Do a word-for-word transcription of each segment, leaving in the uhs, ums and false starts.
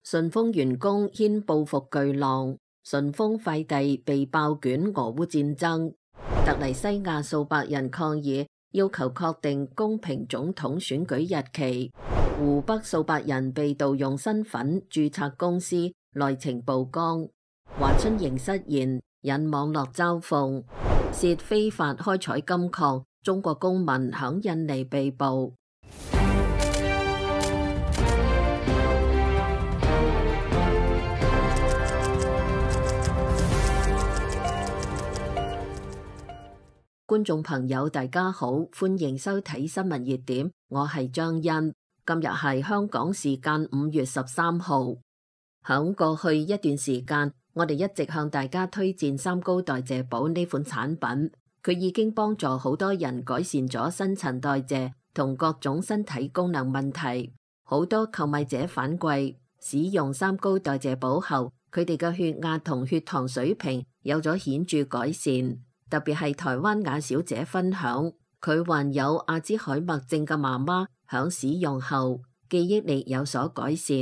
順豐員工掀報復巨浪，順豐快遞被爆捲俄烏戰爭。特尼西亞數百人抗議，要求確定公平總統選舉日期。湖北數百人被盜用身份註冊公司，內情曝光。華春瑩失言引網絡嘲諷，涉非法開採金礦，中國公民響印尼被捕。觀眾朋友大家好，歡迎收睇新聞熱點，我係張欣。今日係香港時間五月十三號。響過去一段時間，我哋一直向大家推薦三高代謝寶呢款產品，佢已經幫助好多人改善咗新陳代謝同各種身體功能問題。好多購買者反饋，使用三高代謝寶後，佢哋嘅血壓同血糖水平有咗顯著改善。特別係台灣雅小姐分享，佢患有阿茲海默症嘅媽媽響使用後記憶力有所改善。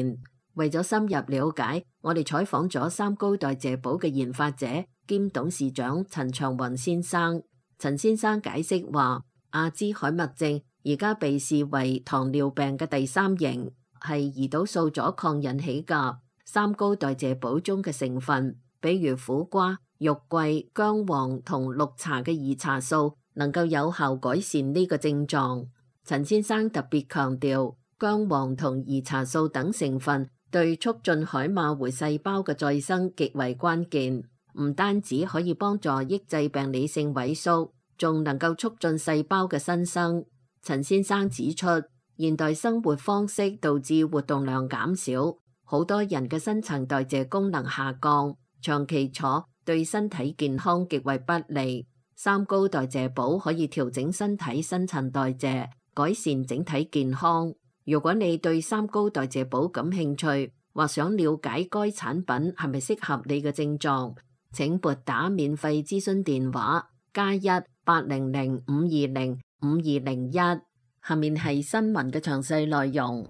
為咗深入了解，我哋採訪咗三高代謝寶嘅研發者兼董事長陳長雲先生。陳先生解釋話，阿茲海默症而家被視為糖尿病嘅第三型，係胰島素阻抗引起嘅。三高代謝寶中嘅成分，比如苦瓜、肉桂、薑黃同綠茶嘅兒茶素能夠有效改善呢個症狀。陳先生特別強調，薑黃同兒茶素等成分對促進海馬回細胞嘅再生極為關鍵，唔單止可以幫助抑制病理性萎縮，仲能夠促進細胞嘅新生。陳先生指出，現代生活方式導致活動量減少，好多人嘅新陳代謝功能下降，長期坐對身體健康極為不利。三高代謝寶可以調整身體新陳代謝，改善整體健康。如果你對三高代謝寶感興趣，或想了解該產品係咪適合你嘅症狀，請撥打免費諮詢電話加一八零零五二零五二零一。下面係新聞嘅詳細內容。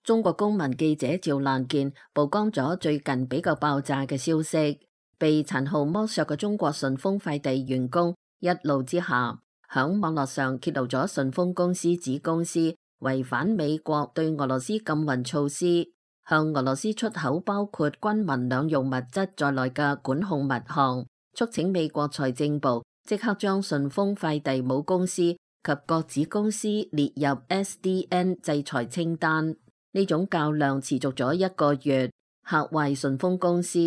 中國公民記者趙蘭健曝光咗最近比較爆炸嘅消息，被殘酷剝削嘅中國順豐快遞員工一怒之下，響網絡上揭露咗順豐公司子公司違反美國對俄羅斯禁運措施，向俄羅斯出口包括軍民兩用物質在內嘅管控物項，促請美國財政部即刻將順豐快遞母公司及各子公司列入 S D N 制裁清單。呢種較量持續咗一個月，嚇壞順豐公司。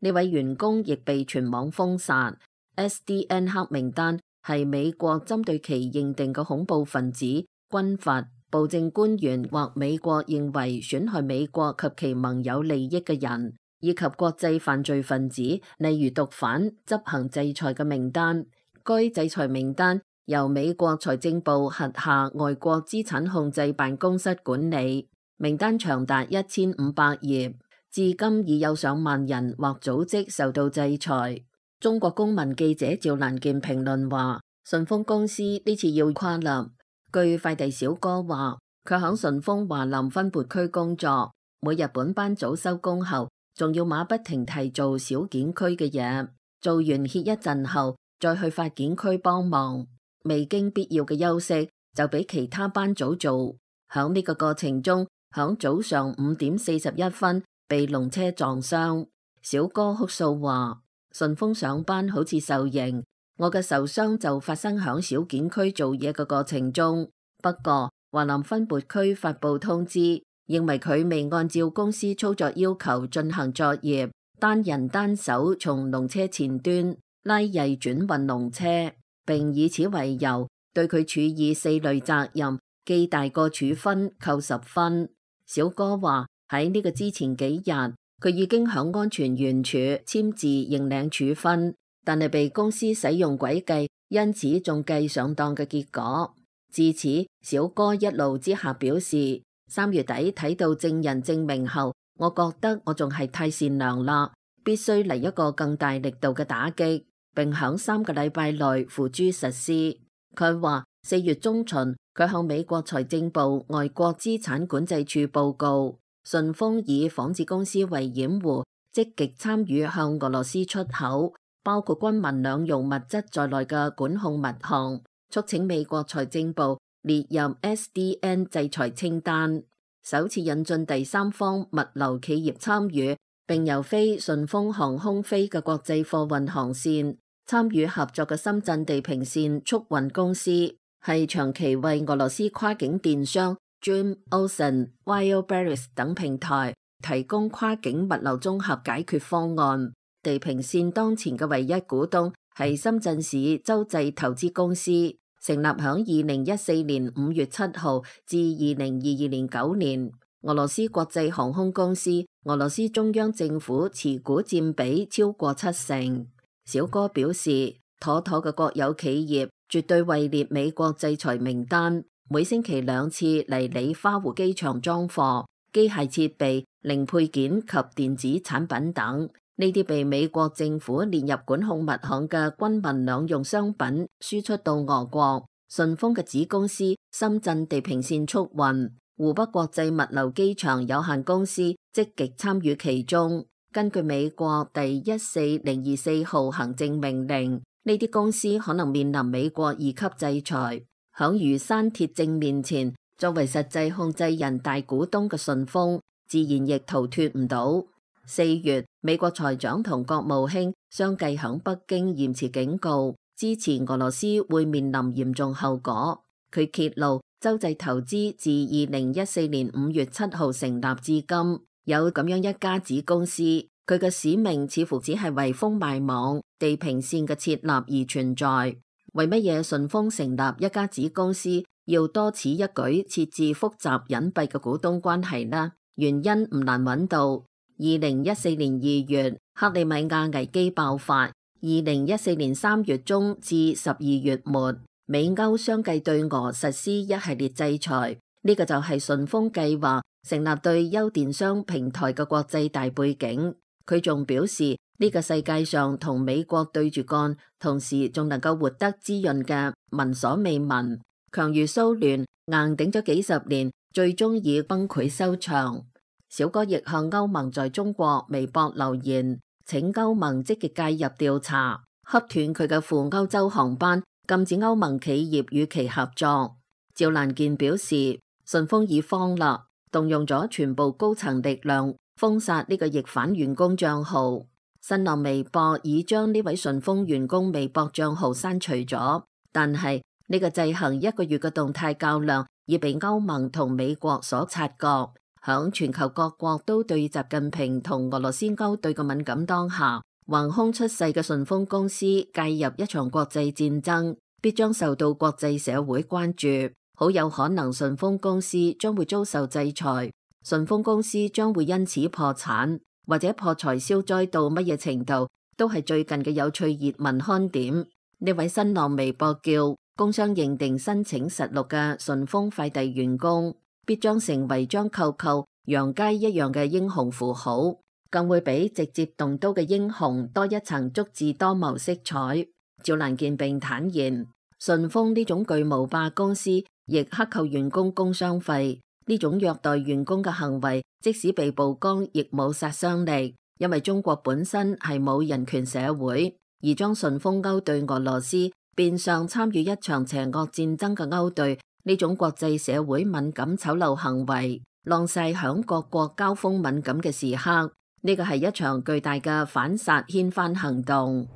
呢位員工亦被全網封殺。S D N 黑名單係美國針對其認定嘅恐怖分子、軍閥、暴政官員或美國認為損害美國及其盟友利益嘅人，以及國際犯罪分子，例如毒販執行制裁嘅名單。該制裁名單由美國財政部轄下外國資產控制辦公室管理。名單長達一千五百頁，至今已有上萬人或組織受到制裁。中國公民記者趙蘭健評論話，順豐公司呢次要垮啦。據快遞小哥話，佢響順豐華南分撥區工作，每日本班組收工後，仲要馬不停蹄做小件區嘅嘢，做完歇一陣後，再去發件區幫忙，未經必要嘅休息就俾其他班組做。響呢個過程中，響早上五點四十一分被龍車撞傷，小哥哭訴話：順豐上班好似受刑，我嘅受傷就發生響小件區做嘢嘅過程中。不過華南分撥區發布通知，認為佢未按照公司操作要求進行作業，單人單手從龍車前端拉曳轉運龍車，並以此為由對佢處以四類責任，記大過處分，扣十分。小哥話喺呢個之前幾日，佢已經響安全員處簽字認領處分，但係被公司使用詭計，因此仲計上當嘅結果。自此，小哥一怒之下表示，三月底睇到證人證明後，我覺得我仲係太善良啦，必須嚟一個更大力度嘅打擊，並響三個禮拜內付諸實施。佢話四月中旬，佢向美國財政部外國資產管制處報告，順豐以仿製公司為掩護，積極參與向俄羅斯出口包括軍民兩用物質在內嘅管控物項，促請美國財政部列入 S D N 制裁清單，首次引進第三方物流企業參與，並由非順豐航空飛嘅國際貨運航線參與合作嘅深圳地平線速運公司，係長期為俄羅斯跨境電商 Dream、Ocean、Wildberries 等平台提供跨境物流綜合解決方案。地平線當前嘅唯一股東係深圳市洲際投資公司，成立響二零一四年五月七號至二零二二年九年。俄羅斯國際航空公司，俄羅斯中央政府持股佔比超過七成。小哥表示，妥妥嘅國有企業絕對位列美國制裁名單，每星期兩次嚟里花湖機場裝貨、機械設備、零配件及電子產品等。呢啲被美國政府列入管控物項嘅軍民兩用商品輸出到俄國。順豐嘅子公司深圳地平線速運、湖北國際物流機場有限公司積極參與其中。根據美國第一四零二四號行政命令，呢啲公司可能面臨美國二級制裁。響如山鐵證面前，作為實際控制人大股東嘅順豐，自然亦逃脫唔到。四月，美國財長同國務卿相繼響北京嚴詞警告，支持俄羅斯會面臨嚴重後果。佢揭露，洲際投資自二零一四年五月七號成立至今，有咁樣一家子公司，佢嘅使命似乎只係為封賣網、地平線嘅設立而存在。為乜嘢順豐成立一家子公司，要多此一舉設置複雜隱蔽嘅股東關係呢？原因唔難揾到。二零一四年二月，克里米亞危機爆發。二零一四年三月中至十二月末，美歐相繼對俄實施一系列制裁。呢、這個就係順豐計劃成立對優電商平台嘅國際大背景。佢仲表示，呢、這個世界上同美國對住幹，同時仲能夠活得滋潤嘅聞所未聞。強如蘇聯硬頂咗幾十年，最終以崩潰收場。小哥亦向歐盟在中國微博留言，請歐盟積極介入調查，掐斷佢嘅赴歐洲航班，禁止歐盟企業與其合作。趙蘭健表示，順豐已慌啦，動用咗全部高層力量封殺呢個逆反員工賬號。新浪微博已將呢位順豐員工微博賬號刪除咗，但係呢個制衡一個月嘅動態較量已被歐盟同美國所察覺。響全球各國都對習近平同俄羅斯勾對嘅敏感當下，橫空出世嘅順豐公司介入一場國際戰爭，必將受到國際社會關注。好有可能順豐公司將會遭受制裁，順豐公司將會因此破產，或者破財消災到乜嘢程度，都係最近嘅有趣熱門看點。呢位新浪微博叫工商認定申請實錄嘅順豐快遞員工，必將成為張扣扣、楊佳一樣嘅英雄符號，更會比直接動刀嘅英雄多一層足智多謀色彩。趙蘭健並坦言，順豐呢種巨無霸公司亦克扣員工工傷費，呢種虐待員工嘅行為，即使被曝光亦冇殺傷力，因為中國本身係冇人權社會，而將順豐勾對俄羅斯，變相參與一場邪惡戰爭嘅勾對。呢種國際社會敏感醜陋行為，浪晒響各國交鋒敏感嘅時刻，呢個係一場巨大嘅反殺掀翻行動。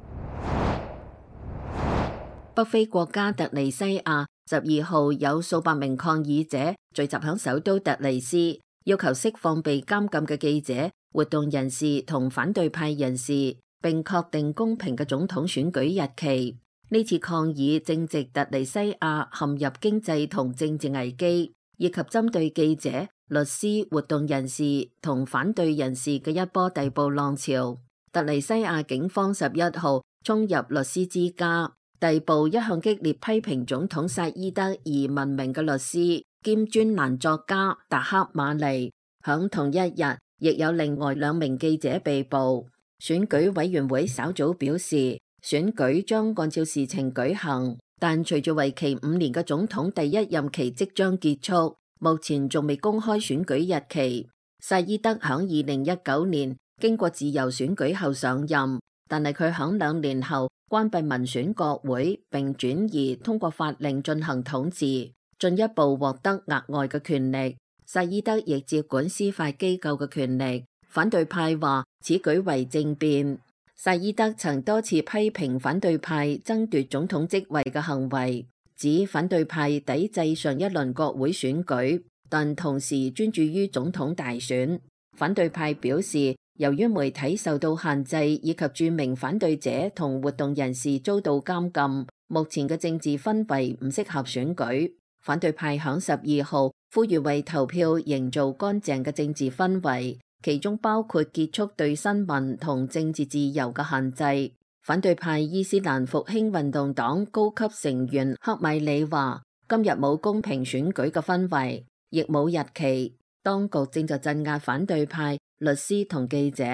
北非國家突尼西亞十二號有數百名抗議者聚集響首都突尼斯，要求釋放被監禁嘅記者、活動人士同反對派人士，並確定公平嘅總統選舉日期。呢次抗議正值突尼西亞陷入經濟同政治危機，以及針對記者、律師、活動人士同反對人士嘅一波逮捕浪潮。突尼西亞警方十一號衝入律師之家，逮捕一向激烈批評總統薩伊德而聞名嘅律師兼專欄作家達克馬尼。響同一日，亦有另外兩名記者被捕。選舉委員會稍早表示，選舉將按照事情舉行，但隨住為期五年嘅總統第一任期即將結束，目前仲未公開選舉日期。薩伊德響二零一九年經過自由選舉後上任，但係佢響兩年後關閉民選國會，並轉移通過法令進行統治，進一步獲得額外嘅權力。薩伊德亦接管司法機構嘅權力。反對派話此舉為政變。薩伊德曾多次批評反對派爭奪總統職位嘅行為，指反對派抵制上一輪國會選舉，但同時專注於總統大選。反對派表示，由於媒體受到限制，以及著名反對者同活動人士遭到監禁，目前嘅政治氛圍唔適合選舉。反對派響十二號呼籲為投票營造乾淨嘅政治氛圍，其中包括結束對新聞同政治自由嘅限制。反對派伊斯蘭復興運動黨高級成員克米里話：今日冇公平選舉嘅氛圍，亦冇日期。當局正在鎮壓反對派律師同記者。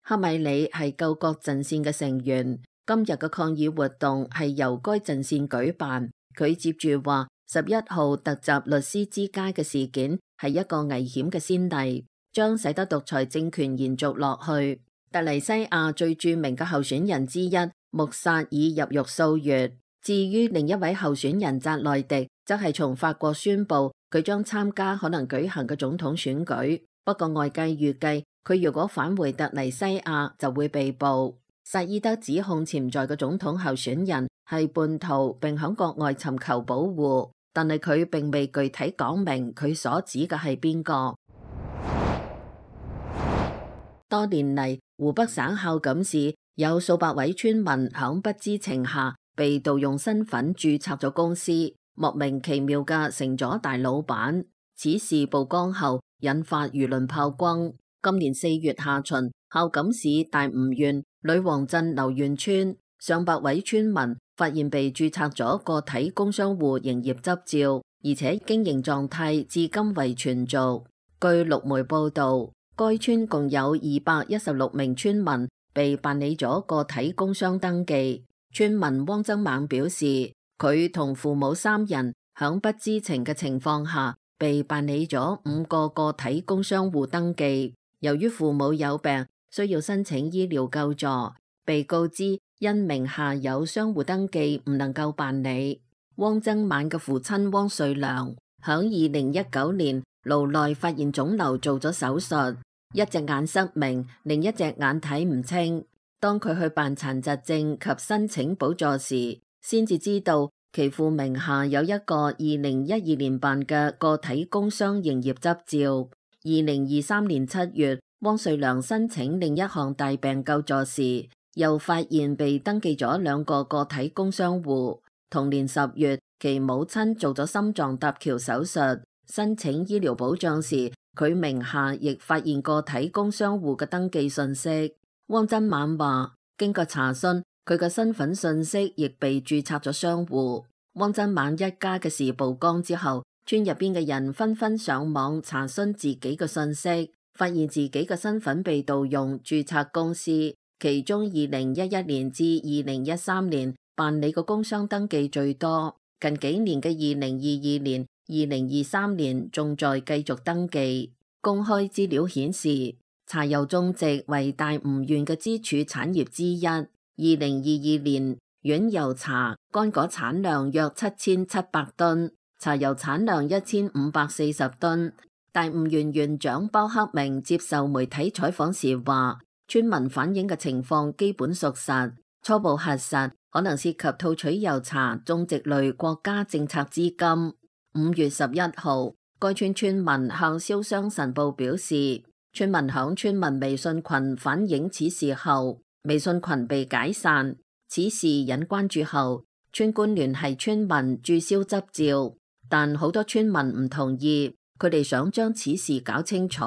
克米里係救國陣線嘅成員，今日嘅抗議活動係由該陣線舉辦。佢接住話：十一號突襲律師之街嘅事件係一個危險嘅先例，將使得獨裁政權延續落去。突尼西亞最著名嘅候選人之一穆薩爾入獄數月。至於另一位候選人扎內迪，則係從法國宣布佢將參加可能舉行嘅總統選舉。不過外界預計佢如果返回突尼西亞就會被捕。薩伊德指控潛在嘅總統候選人係叛徒，並響國外尋求保護，但係佢並未具體講明佢所指嘅係邊個。多年嚟，湖北省孝感市有數百位村民響不知情下被盜用身份註冊咗公司，莫名其妙嘅成咗大老闆。此事曝光後引發輿論炮轟。今年四月下旬，孝感市大吳縣女王鎮劉縣村上百位村民發現被註冊咗個體工商戶營業執照，而且經營狀態至今為存續。據陸媒報道，該村共有二百一十六名村民被辦理咗個體工商登記。村民汪增猛表示，佢同父母三人響不知情嘅情況下被辦理咗五個個體工商戶登記。由於父母有病，需要申請醫療救助，被告知因名下有商戶登記唔能夠辦理。汪增猛嘅父親汪瑞良響二零一九年顱內發現腫瘤，做咗手術，一隻眼失明，另一隻眼睇唔清。當佢去辦殘疾證及申請補助時，先至知道其父名下有一個二零一二年辦嘅個體工商營業執照。二零二三年七月，汪瑞良申請另一項大病救助時，又發現被登記咗兩個個體工商戶。同年十月，其母親做咗心臟搭橋手術，申請醫療保障時，佢名下亦發現個體工商戶嘅登記信息。汪增猛話，經過查詢，佢嘅身份信息亦被註冊咗商戶。汪增猛一家嘅事曝光之後，村入邊嘅人紛紛上網查詢自己嘅信息，發現自己嘅身份被盜用，註冊公司。其中二零一一年至二零一三年辦理嘅工商登記最多，近幾年嘅二零二二年、二零二三年仲在繼續登記。公開資料顯示，茶油種植為大吳縣嘅支柱產業之一。二零二二年，縣油茶乾果產量約七千七百噸，茶油產量一千五百四十噸。大吳縣縣長包克明接受媒體採訪時話，村民反映嘅情況基本屬實，初步核實可能涉及套取油茶種植類國家政策資金。五月十一號，該村村民向瀟湘晨報表示，村民響村民微信群反映此事後，微信群被解散。此事引關注後，村官聯繫村民註銷執照，但好多村民唔同意，佢哋想將此事搞清楚，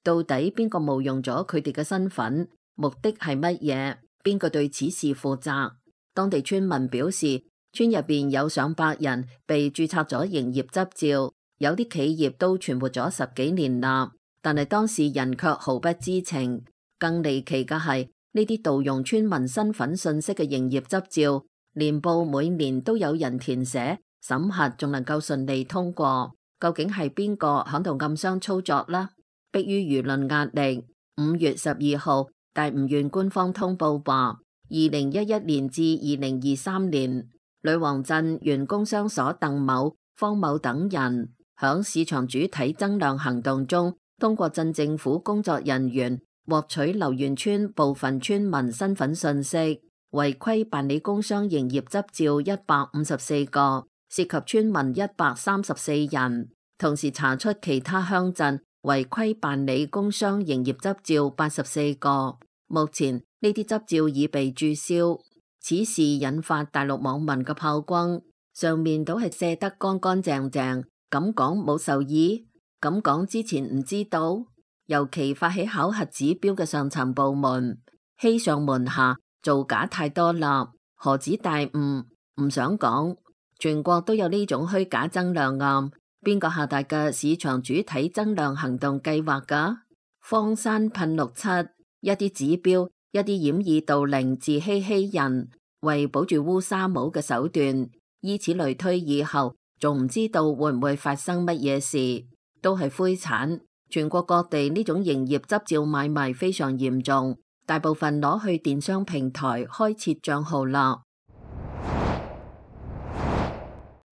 到底邊個冒用咗佢哋嘅身份，目的係乜嘢，邊個對此事負責。當地村民表示，村入邊有上百人被註冊咗營業執照，有啲企業都存活咗十幾年啦，但係當事人卻毫不知情。更離奇嘅係，呢啲盜用村民身份信息嘅營業執照年報每年都有人填寫，審核仲能夠順利通過，究竟係邊個響度暗箱操作呢？迫於輿論壓力，五月十二號，大吳縣官方通報話，二零一一年至二零二三年，女皇鎮縣工商所鄧某、方某等人響市場主體增量行動中，通過鎮政府工作人員獲取劉縣村部分村民身份信息，違規辦理工商營業執照一百五十四個，涉及村民一百三十四人。同時查出其他鄉鎮違規辦理工商營業執照八十四個。目前呢啲執照已被註銷。此事引發大陸網民嘅炮轟，上面都係卸得乾乾淨淨，咁講冇受意，咁講之前唔知道。尤其發起考核指標嘅上層部門，欺上瞞下，造假太多啦，何止大吳？唔想講，全國都有呢種虛假增量案。邊個下達嘅市場主體增量行動計劃㗎？荒山噴六七，一啲指標，一啲掩耳盜鈴、自欺欺人，為保住烏紗帽嘅手段。依此類推，以後仲唔知道會唔會發生乜嘢事，都係灰產。全國各地呢種營業執照買賣非常嚴重，大部分攞去電商平台開設賬號啦。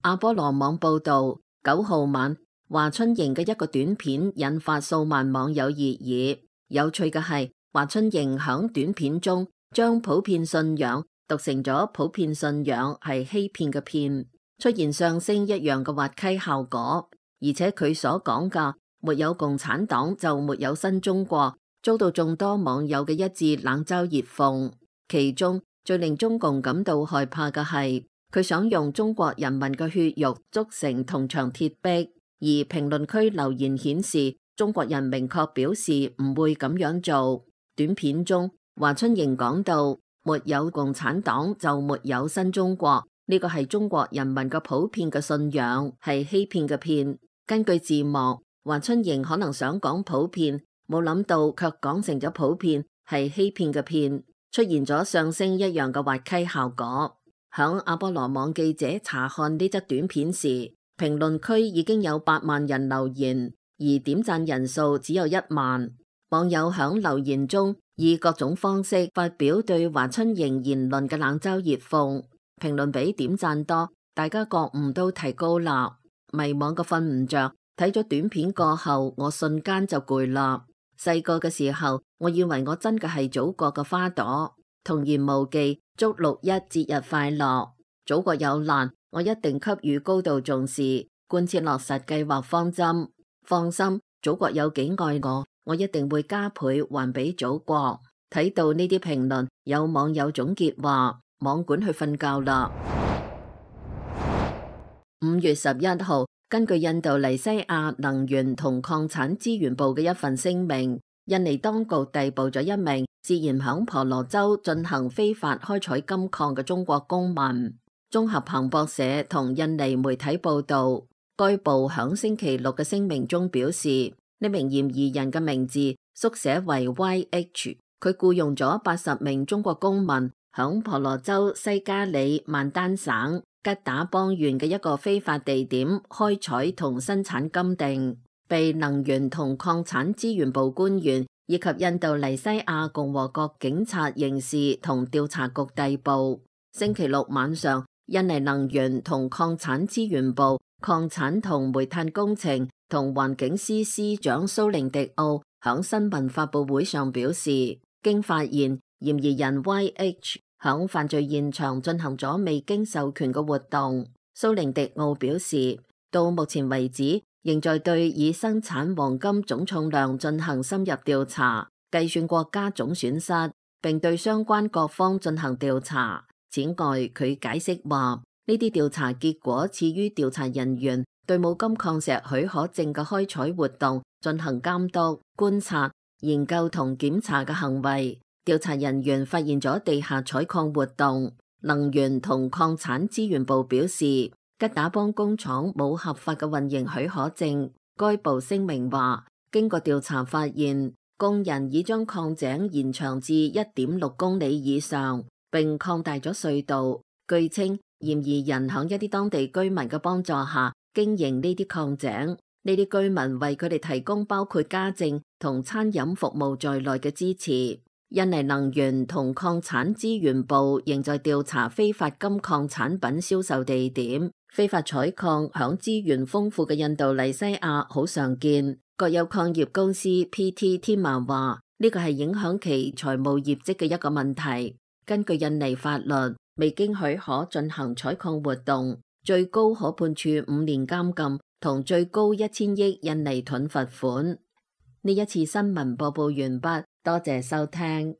阿波羅網報道，九號晚，華春瑩嘅一個短片引發數萬網友熱議。有趣嘅係，華春瑩響短片中將普遍信仰讀成咗普遍信仰係欺騙嘅騙，出現相聲一樣嘅滑稽效果。而且佢所講嘅沒有共產黨就沒有新中國，遭到眾多網友嘅一致冷嘲熱諷。其中最令中共感到害怕嘅係，佢想用中國人民嘅血肉築成銅牆鐵壁，而評論區留言顯示中國人明確表示唔會咁樣做。短片中，華春瑩講到沒有共產黨就沒有新中國，呢個係中國人民嘅普遍嘅信仰，係欺騙嘅騙。根據字幕，華春瑩可能想講普遍，冇諗到卻講成咗普遍係欺騙嘅騙，出現咗相聲一樣嘅滑稽效果。響阿波羅網記者查看呢則短片時，評論區已經有八萬人留言，而點讚人數只有一萬。網友響留言中以各種方式發表對華春瑩言論嘅冷嘲熱諷，評論比點讚多，大家覺悟都提高啦。迷惘嘅瞓唔着，睇咗短片過後，我瞬間就攰啦。細個嘅時候，我以為我真嘅係祖國嘅花朵。童言無忌，祝六一節日快樂！祖國有難，我一定給予高度重視，貫徹落實計劃方針。放心，祖國有幾愛我，我一定會加倍還俾祖國。睇到呢啲評論，有網友總結話：網管去瞓覺啦。五月十一號，根據印度尼西亞能源同礦產資源部嘅一份聲明，印尼當局逮捕咗一名涉嫌響婆羅洲進行非法開採金礦嘅中國公民。綜合彭博社同印尼媒體報道，該部響星期六嘅聲明中表示，呢名嫌疑人嘅名字縮寫為 Y H， 佢僱傭咗八十名中國公民響婆羅洲西加里曼丹省吉打邦縣嘅一個非法地點開採同生產金锭，被能源同礦產資源部官員以及印度尼西亞共和國警察刑事同調查局逮捕。星期六晚上，印尼能源同礦產資源部礦產同煤炭工程同環境司司長蘇寧迪奧響新聞發佈會上表示，經發現嫌疑人 Y H 響犯罪現場進行咗未經授權嘅活動。蘇寧迪奧表示，到目前為止，仍在對已生產黃金總重量進行深入調查，計算國家總損失，並對相關各方進行調查。此外，佢解釋話，呢啲調查結果賜予調查人員對冇金礦石許可證嘅開採活動進行監督、觀察、研究同檢查嘅行為。調查人員發現咗地下採礦活動。能源同礦產資源部表示，吉打邦工廠冇合法嘅運營許可證。該部聲明話，經過調查發現，工人已將礦井延長至一點六公里以上，並擴大咗隧道。據稱，嫌疑人響一啲當地居民嘅幫助下經營呢啲礦井，呢啲居民為佢哋提供包括家政同餐飲服務在內嘅支持。印尼能源同礦產資源部仍在調查非法金礦產品銷售地點。非法採礦響資源豐富嘅印度尼西亞好常見。國有礦業公司 P T 天馬話，呢個係影響其財務業績嘅一個問題。根據印尼法律，未經許可進行採礦活動，最高可判處五年監禁同最高一千億印尼盾罰款。呢一次新聞播報完畢，多謝收聽。